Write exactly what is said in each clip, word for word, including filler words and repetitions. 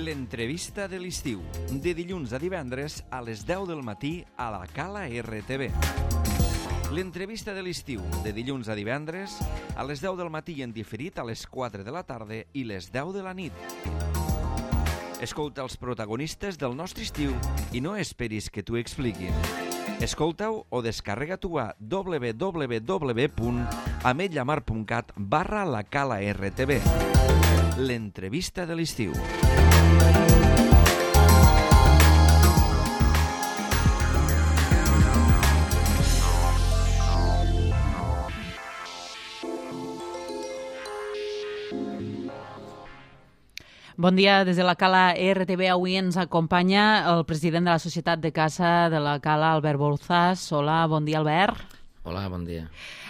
L'entrevista de l'estiu, de dilluns a divendres a les deu del matí a la Cala R T V. L'entrevista de l'estiu, de dilluns a divendres a les deu del matí en diferit a les quatre de la tarda i les deu de la nit. Escolta els protagonistes del nostre estiu i no esperis que t'ho expliquin. Escolta-ho o descarrega-t'ho a w w w punt ametlllamar punt cat barra la Cala R T V. L'entrevista de l'estiu. Bon dia, des de la Cala R T V avui ens acompanya el president de la Societat de Caça de la Cala, Albert Bouzas. Hola, bon dia, Albert. Hola, bon dia.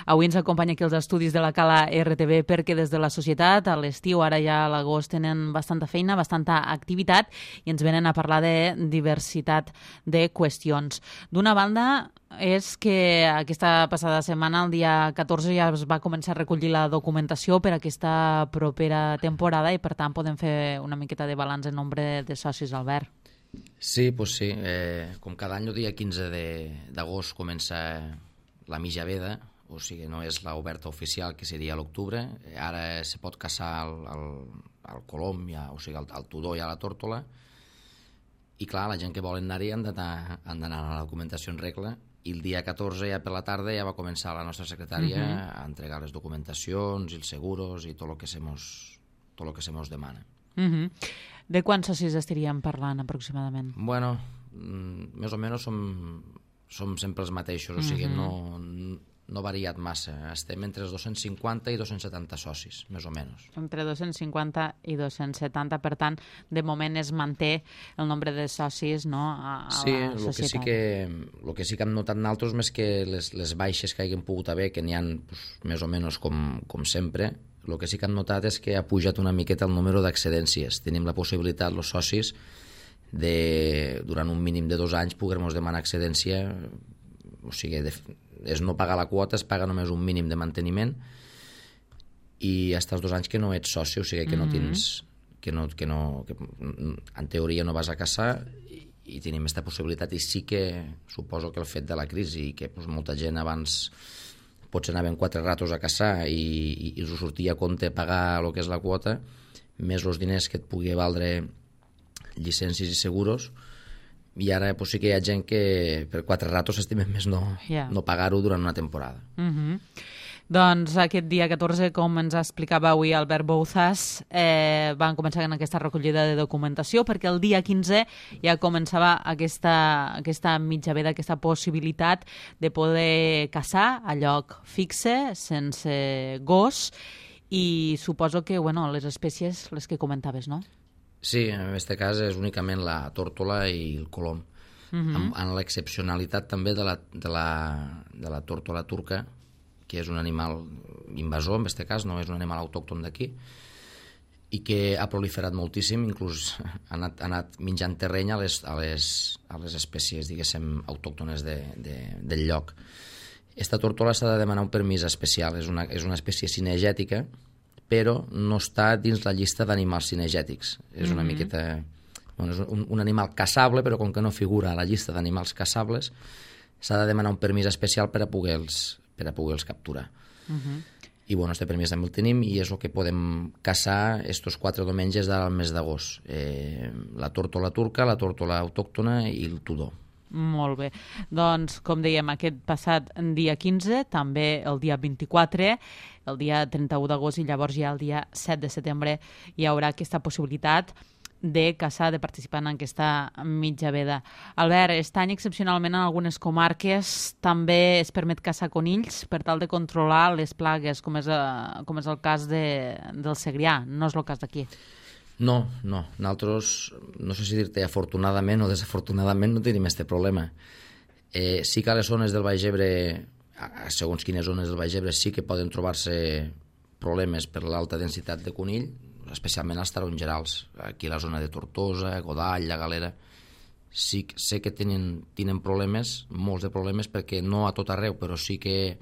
Avui ens acompanya aquí els estudis de la Cala R T V perquè des de la societat a l'estiu, ara ja a l'agost, tenen bastanta feina, bastanta activitat i ens venen a parlar de diversitat de qüestions. D'una banda, és que aquesta passada setmana, el dia catorze, ja es va començar a recollir la documentació per a aquesta propera temporada i, per tant, podem fer una miqueta de balanç en nombre de socis, Albert. Sí, doncs sí. Eh, com cada any, el dia quinze d'agost comença la mitja veda, o sigui, no és l'oberta oficial, que seria a l'octubre. Ara se pot caçar el, el, el colom, ja, o sigui, el, el tudó i a la tórtola. I clar, la gent que volen anar-hi han d'anar a la documentació en regla. I el dia catorze, ja per la tarda, ja va començar la nostra secretària uh -huh. a entregar les documentacions i els seguros i tot el que se mos, tot el que se mos demana. Uh -huh. De quants socis estaríem parlant aproximadament? Bueno, mm, més o menys som, som sempre els mateixos, o sigui, uh -huh. no, no ha variat massa. Estem entre els dos-cents cinquanta i dos-cents setanta socis, més o menys. Entre dos-cents cinquanta i dos-cents setanta, per tant, de moment es manté el nombre de socis, no, a, a sí, la lo societat. Que sí que, el que sí que hem notat nosaltres més que les, les baixes que hagin pogut haver, que n'hi ha pues, més o menys com, com sempre, el que sí que hem notat és que ha pujat una miqueta el número d'accedències. Tenim la possibilitat, els socis, de, durant un mínim de dos anys, poder-nos demanar excedència, o sigui, de, és no pagar la quota, es paga només un mínim de manteniment i fins als dos anys que no ets soci, o sigui que no tens, que no, que no, que en teoria no vas a caçar i, i tenim aquesta possibilitat. I sí que suposo que el fet de la crisi i que pues, molta gent abans potser anaven quatre ratos a caçar i, i, i us sortia a compte pagar el que és la quota, més els diners que et pugui valdre llicències i seguros. I ara pues, sí que hi ha gent que per quatre ratos s'estimen més no, yeah. no pagar-ho durant una temporada. Uh -huh. Doncs aquest dia catorze, com ens explicava avui Albert Bouzas, eh, van començar en aquesta recollida de documentació perquè el dia quinze ja començava aquesta, aquesta mitja veda, aquesta possibilitat de poder caçar a lloc fixe, sense gos, i suposo que bueno, les espècies, les que comentaves, no? Sí, en aquest cas és únicament la tórtola i el colom, uh -huh. amb, amb l'excepcionalitat també de la, de, la, de la tórtola turca, que és un animal invasor, en aquest cas, no és un animal autòcton d'aquí, i que ha proliferat moltíssim, inclús ha anat, ha anat menjant terreny a les, a les, a les espècies, diguéssim, autòctones de, de, del lloc. Esta tórtola s'ha de demanar un permís especial, és una, és una espècie cinegètica, però no està dins la llista d'animals cinegètics. És una mm-hmm. miqueta... Bueno, és un, un animal caçable, però com que no figura a la llista d'animals caçables, s'ha de demanar un permís especial per a poder-los per a poder-los capturar. Mm-hmm. I bueno, este permís també el tenim i és el que podem caçar estos quatre diumenges del mes d'agost. Eh, la tórtola turca, la tórtola autòctona i el tudó. Molt bé. Doncs, com dèiem, aquest passat dia quinze, també el dia vint-i-quatre, el dia trenta-u d'agost i llavors ja el dia set de setembre hi haurà aquesta possibilitat de caçar, de participar en aquesta mitja veda. Albert, aquest any excepcionalment en algunes comarques també es permet caçar conills per tal de controlar les plagues, com és, com és el cas de, del Segrià. No és el cas d'aquí. No, no. Nosaltres, no sé si dir-te afortunadament o desafortunadament, no tenim aquest problema. Eh, sí que a les zones del Baix Ebre, segons quines zones del Baix Ebre, sí que poden trobar-se problemes per l'alta densitat de conill, especialment als tarongerals. Aquí a la zona de Tortosa, Godall, la Galera, sí sé que tenen, tenen problemes, molts de problemes, perquè no a tot arreu, però sí que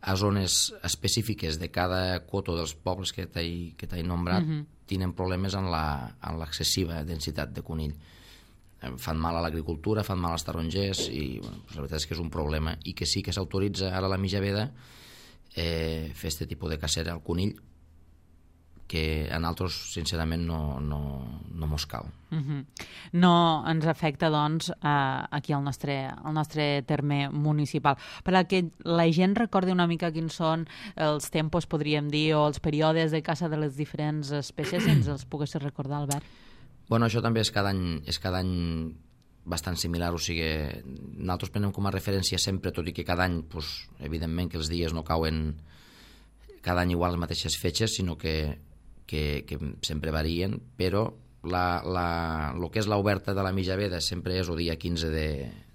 a zones específiques de cada coto dels pobles que t'he que t'he nombrat, uh-huh. tenen problemes en l'excessiva densitat de conill. Fan mal a l'agricultura, fan mal als tarongers i bueno, la veritat és que és un problema i que sí que s'autoritza ara a la Mijaveda eh, fer aquest tipus de cacera al conill que a nosaltres, sincerament, no, no, no mos cal. Uh-huh. No ens afecta, doncs, a, aquí al nostre, al nostre terme municipal. Per a que la gent recordi una mica quins són els tempos, podríem dir, o els períodes de caça de les diferents espècies, si ens els poguessis recordar, Albert. Bueno, això també és cada any, és cada any bastant similar, o sigui, nosaltres prenem com a referència sempre, tot i que cada any, pues, evidentment que els dies no cauen cada any igual les mateixes fetges, sinó que Que, que sempre varien, però la, la, el que és l'oberta de la Mijaveda sempre és el dia quinze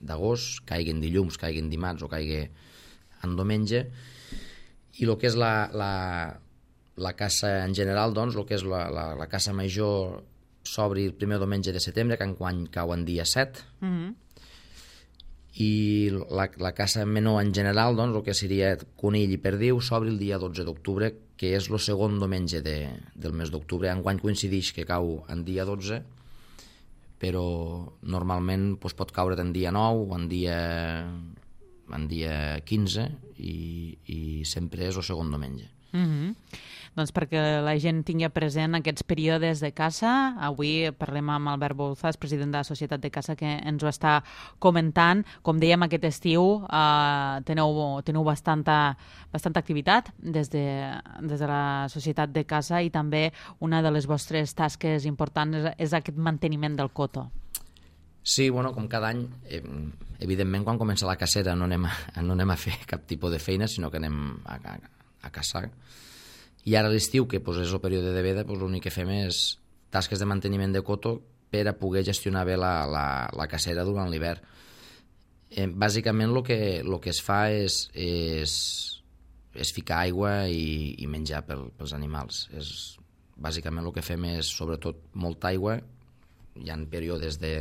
d'agost, caiguen dilluns, caiguen dimarts o caigui en diumenge, i el que és la, la, la caça en general, doncs, el que és la, la, la caça major s'obri el primer diumenge de setembre, que enguany cau en dia set, mm-hmm. i la, la caça menor en general, doncs, el que seria conill i perdiu, s'obre el dia dotze d'octubre, que és el segon diumenge de, del mes d'octubre. Enguany coincideix que cau en dia dotze, però normalment doncs, pot caure en dia nou o en dia, en dia quinze i, i sempre és el segon diumenge. Mm-hmm. Doncs perquè la gent tingui present aquests períodes de caça. Avui parlem amb Albert Bouzas, president de la Societat de Caça, que ens ho està comentant. Com dèiem, aquest estiu eh, teniu, teniu bastanta, bastanta activitat des de, des de la Societat de Caça i també una de les vostres tasques importants és, és aquest manteniment del coto. Sí, bueno, com cada any, eh, evidentment quan comença la cacera no anem, a, no anem a fer cap tipus de feina, sinó que anem a, a, a caçar. I ara a l'estiu, que pues, és el període de veda, pues, l'únic que fem és tasques de manteniment de coto per a poder gestionar bé la, la, la cacera durant l'hivern. Eh, bàsicament el que, lo que es fa és, és, és ficar aigua i, i menjar pel, pels animals. És, bàsicament el que fem és sobretot molta aigua, hi ha períodes de,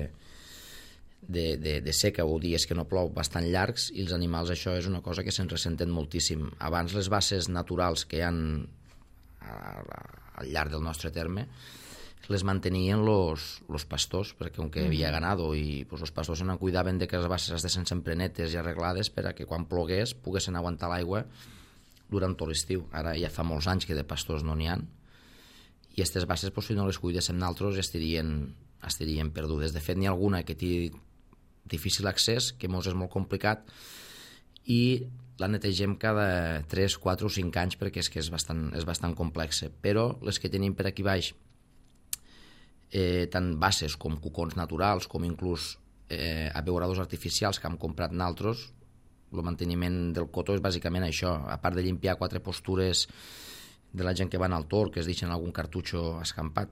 de, de, de seca o dies que no plou bastant llargs i els animals això és una cosa que se'n ressenten moltíssim. Abans les basses naturals que hi ha al llarg del nostre terme les mantenien los pastors, perquè com que hi havia ganado i pues, els pastors se'n cuidaven de que les basses estessin sempre netes i arreglades per a que quan plogués poguessin aguantar l'aigua durant tot l'estiu. Ara ja fa molts anys que de pastors no n'hi ha i aquestes basses, pues, si no les cuidéssim nosaltres, estarien, estarien perdudes. De fet, n'hi ha alguna que té difícil accés, que mos és molt complicat i la netegem cada tres, quatre o cinc anys perquè és que és bastant, és bastant complexa. Però les que tenim per aquí baix, eh, tant basses com cucons naturals, com inclús eh, abeuradors artificials que hem comprat nosaltres, el manteniment del cotó és bàsicament això. A part de limpiar quatre postures de la gent que van al tor, que es deixen algun cartutxo escampat,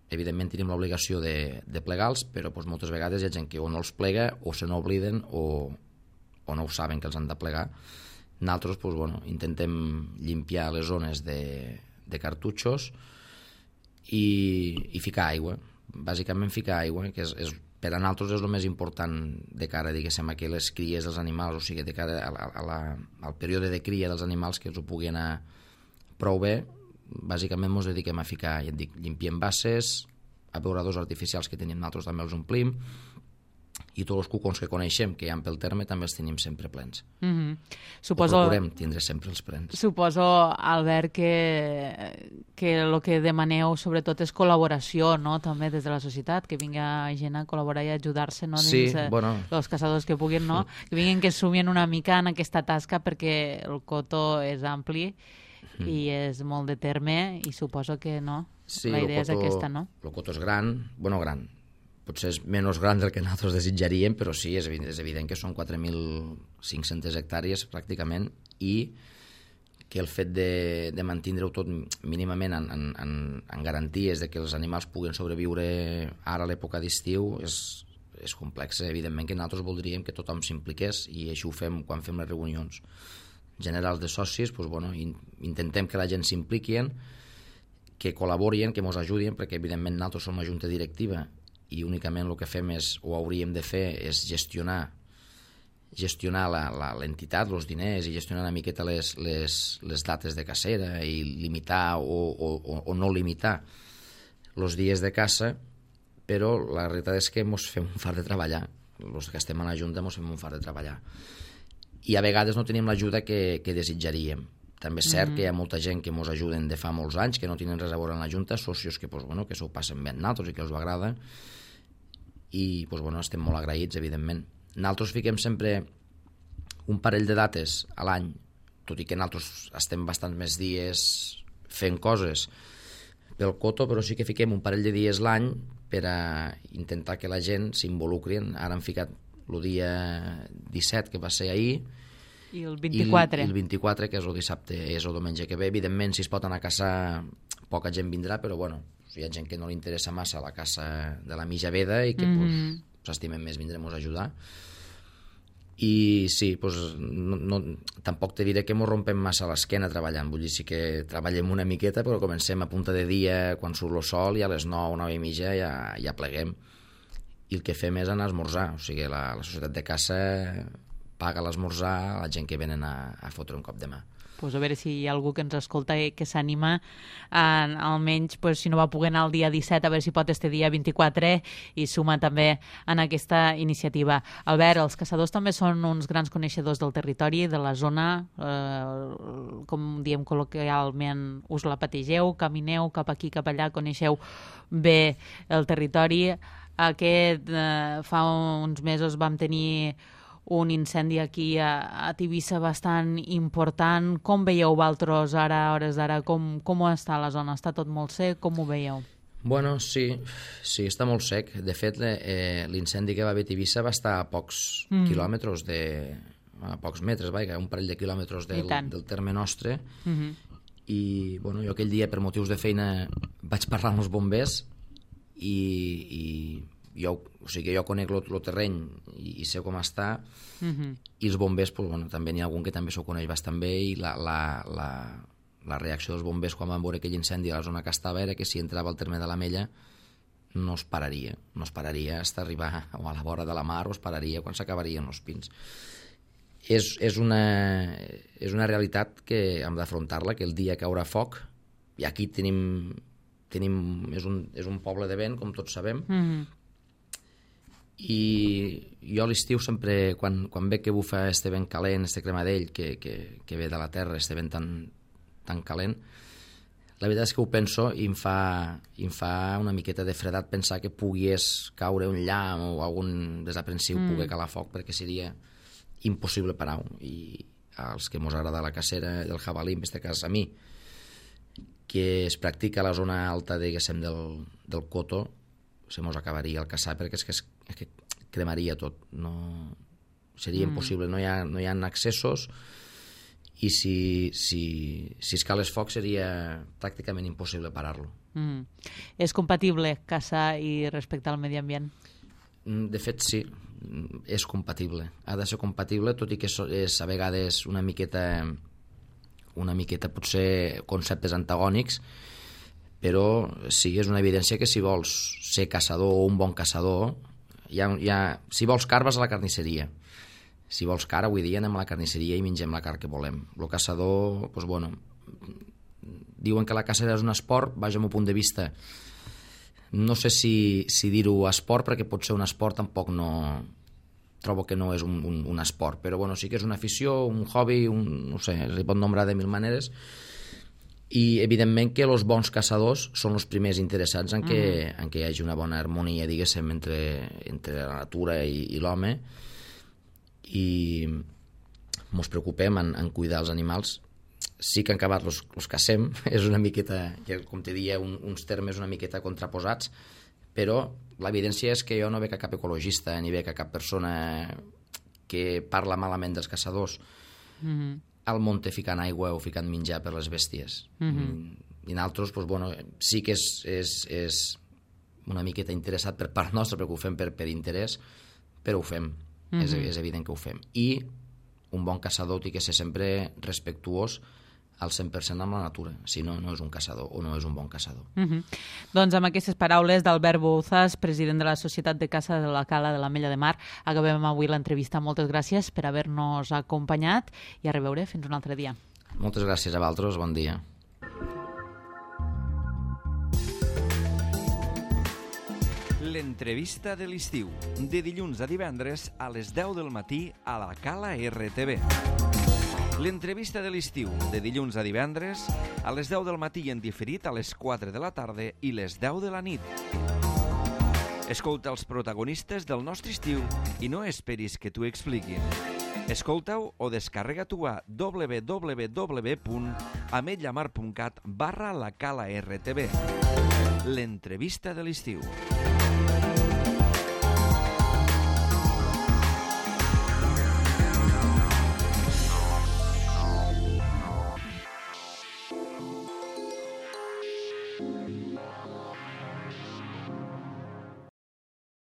evidentment tenim l'obligació de, de plegar-los, però doncs, moltes vegades hi ha gent que o no els plega o se n'obliden o, o no ho saben que els han de plegar. Nosaltres doncs, bueno, intentem limpiar les zones de, de cartutxos i, i ficar aigua. Bàsicament ficar aigua, que és, és, per a nosaltres és el més important de cara, diguéssim, a que les cries dels animals, o sigui, de cara a la, a la, al període de cria dels animals, que els ho puguin anar prou bé. Bàsicament ens dediquem a ficar, ja et dic, limpiem basses, abeuradors artificials que tenim nosaltres també els omplim, i tots els cucons que coneixem, que hi ha pel terme, també els tenim sempre plens. Mm-hmm. Suposo... O procurem tindre sempre els plens. Suposo, Albert, que, que el que demaneu sobretot és col·laboració, no?, també des de la societat, que vinga gent a col·laborar i ajudar-se, no?, sí, dins bueno... els caçadors que puguin, no?, que vinguin que sumien una mica en aquesta tasca perquè el coto és ampli mm. i és molt de terme i suposo que, no?, sí, la idea coto, és aquesta, no? El coto és gran, bueno, gran, potser és menys gran del que nosaltres desitjaríem, però sí, és evident, és evident que són quatre mil cinc-centes hectàrees pràcticament i que el fet de, de mantindre-ho tot mínimament en, en, en, en garanties de que els animals puguen sobreviure ara a l'època d'estiu és, és complex. Evidentment que nosaltres voldríem que tothom s'impliqués i això ho fem quan fem les reunions generals de socis, doncs, bueno, in, intentem que la gent s'impliquien, que col·laborien, que ens ajudin, perquè evidentment nosaltres som una junta directiva i únicament el que fem és, o hauríem de fer, és gestionar gestionar l'entitat, els diners i gestionar una miqueta les, les, les dates de cacera i limitar o, o, o no limitar els dies de caça, però la realitat és que ens fem un fart de treballar. Els que estem a la Junta ens fem un fart de treballar. I a vegades no tenim l'ajuda que, que desitjaríem. També és cert mm-hmm. que hi ha molta gent que ens ajuden de fa molts anys, que no tenen res a veure en la Junta, socios que, pues, bueno, que s'ho passen bé amb nosaltres i que els agrada, i pues, bueno, estem molt agraïts, evidentment. Nosaltres fiquem sempre un parell de dates a l'any, tot i que nosaltres estem bastants més dies fent coses pel coto, però sí que fiquem un parell de dies l'any per a intentar que la gent s'involucri. Ara han ficat el dia disset, que va ser ahir, i el vint-i-quatre. I el, i el vint-i-quatre, que és el dissabte, és el diumenge que ve. Evidentment, si es pot anar a caçar, poca gent vindrà, però bueno, hi ha gent que no li interessa massa la caça de la mitja veda i que mm-hmm. pues, s'estimen més vindrem a ajudar. I sí, pues, no, no, tampoc te diré que ens rompem massa l'esquena treballant, vull dir, sí que treballem una miqueta, però comencem a punta de dia quan surt el sol i a les nou, nou i mitja ja, ja pleguem. I el que fem és anar a esmorzar, o sigui, la, la societat de caça paga l'esmorzar a la gent que venen a, a fotre un cop de mà. Pues a veure si hi ha algú que ens escolta i que s'anima, eh, almenys pues, si no va poder anar el dia disset, a veure si pot este dia vint-i-quatre i suma també en aquesta iniciativa. Albert, els caçadors també són uns grans coneixedors del territori, de la zona, eh, com diem col·loquialment, us la pategeu, camineu cap aquí, cap allà, coneixeu bé el territori. Aquest, eh, fa uns mesos vam tenir un incendi aquí a, a Tivissa bastant important. Com veieu vosaltres ara, a hores d'ara? Com, com està la zona? Està tot molt sec? Com ho veieu? Bueno, sí, sí, està molt sec. De fet, eh, l'incendi que va haver a Tivissa va estar a pocs mm. quilòmetres, de, a pocs metres, vaja, un parell de quilòmetres del, del terme nostre. Mm-hmm. I bueno, jo aquell dia, per motius de feina, vaig parlar amb els bombers i... i jo, o sigui, jo conec el terreny i, i sé com està, mm-hmm. i els bombers, pues, bueno, també n'hi ha algun que també s'ho coneix bastant bé, i la, la, la, la reacció dels bombers quan van veure aquell incendi a la zona que estava era que si entrava al terme de l'Ametlla no es pararia, no es pararia fins a arribar a la vora de la mar, o es pararia quan s'acabarien els pins. És, és, una, és una realitat que hem d'afrontar-la, que el dia que haurà foc, i aquí tenim, tenim és, un, és un poble de vent, com tots sabem, mm-hmm. i jo a l'estiu sempre, quan, quan ve que bufa este vent calent, este cremadell que, que, que ve de la terra, este vent tan, tan calent, la veritat és que ho penso i em fa, i em fa una miqueta de fredat pensar que pogués caure un llamp o algun desaprensiu mm. poder calar foc, perquè seria impossible parar-ho. I als que mos agrada la cacera del jabalí, en aquest cas a mi, que es practica a la zona alta, diguéssim, del, del coto, se mos acabaria el caçar, perquè és que, es, és que cremaria tot. No, seria mm. impossible, no hi ha, no hi ha accessos, i si, si, si es cales foc seria pràcticament impossible parar-lo. Mm. És compatible caçar i respectar el medi ambient? De fet, sí, és compatible. Ha de ser compatible, tot i que és a vegades una miqueta, una miqueta potser conceptes antagònics, però sí, és una evidència que si vols ser caçador o un bon caçador, hi ha, hi ha, si vols car vas a la carnisseria, si vols car avui dia anem a la carnisseria i mengem la car que volem. El caçador, doncs bueno, diuen que la caça és un esport, vaja, al meu punt de vista, no sé si, si dir-ho esport, perquè pot ser un esport, tampoc no... trobo que no és un, un, un esport, però bueno, sí que és una afició, un hobby, un, no sé, es pot nombrar de mil maneres. I evidentment que els bons caçadors són els primers interessats en que, mm. en que hi hagi una bona harmonia, diguéssim, entre, entre la natura i, i l'home, i ens preocupem en, en cuidar els animals. Sí que en acabat els, els cacem, és una miqueta, com te deia, un, uns termes una miqueta contraposats, però l'evidència és que jo no veig cap ecologista ni veig cap persona que parla malament dels caçadors mm-hmm. al monte ficant aigua o ficant menjar per les bèsties. Mm-hmm. I nosaltres, doncs, bueno, sí que és, és, és una miqueta interessat per part nostra, perquè ho fem per, per interès, però ho fem, mm-hmm. és, és evident que ho fem. I un bon caçador té que ser sempre respectuós al cent per cent amb la natura, si no, no és un caçador o no és un bon caçador. Uh-huh. Doncs amb aquestes paraules d'Albert Bouzas, president de la Societat de Caça de la Cala de l'Ametlla de Mar, acabem avui l'entrevista. Moltes gràcies per haver-nos acompanyat i a reveure fins un altre dia. Moltes gràcies a vosaltres, bon dia. L'entrevista de l'estiu, de dilluns a divendres a les deu del matí a la Cala R T V. L'entrevista de l'estiu, de dilluns a divendres, a les deu del matí i en diferit a les quatre de la tarda i les deu de la nit. Escolta els protagonistes del nostre estiu i no esperis que t'ho expliquin. Escolta-ho o descarrega-t'ho a w w w punt ametlla mar punt cat barra la Cala R T V. L'entrevista de l'estiu.